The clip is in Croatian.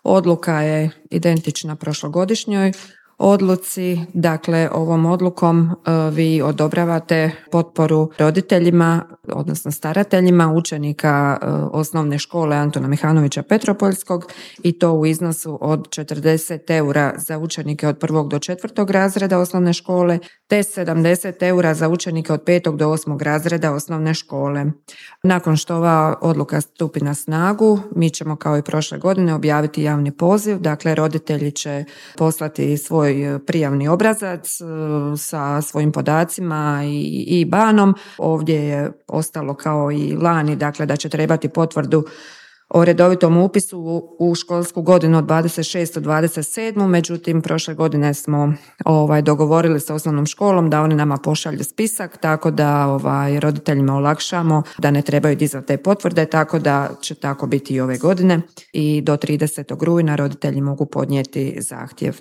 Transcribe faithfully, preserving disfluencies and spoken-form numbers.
Odluka je identična prošlogodišnjoj odluci, dakle ovom odlukom vi odobravate potporu roditeljima, odnosno starateljima učenika osnovne škole Antuna Mihanovića Petropoljskog i to u iznosu od četrdeset eura za učenike od prvog do četvrtog razreda osnovne škole, te sedamdeset eura za učenike od petog do osmog razreda osnovne škole. Nakon što ova odluka stupi na snagu, mi ćemo kao i prošle godine objaviti javni poziv, dakle roditelji će poslati svoj prijavni obrazac sa svojim podacima i, i banom. Ovdje je ostalo kao i lani, dakle da će trebati potvrdu o redovitom upisu u školsku godinu od dvadeset šestu dvadeset sedmu. Međutim, prošle godine smo ovaj, dogovorili sa osnovnom školom da oni nama pošalju spisak, tako da ovaj, roditeljima olakšamo da ne trebaju dizati te potvrde, tako da će tako biti i ove godine i do tridesetog rujna roditelji mogu podnijeti zahtjev.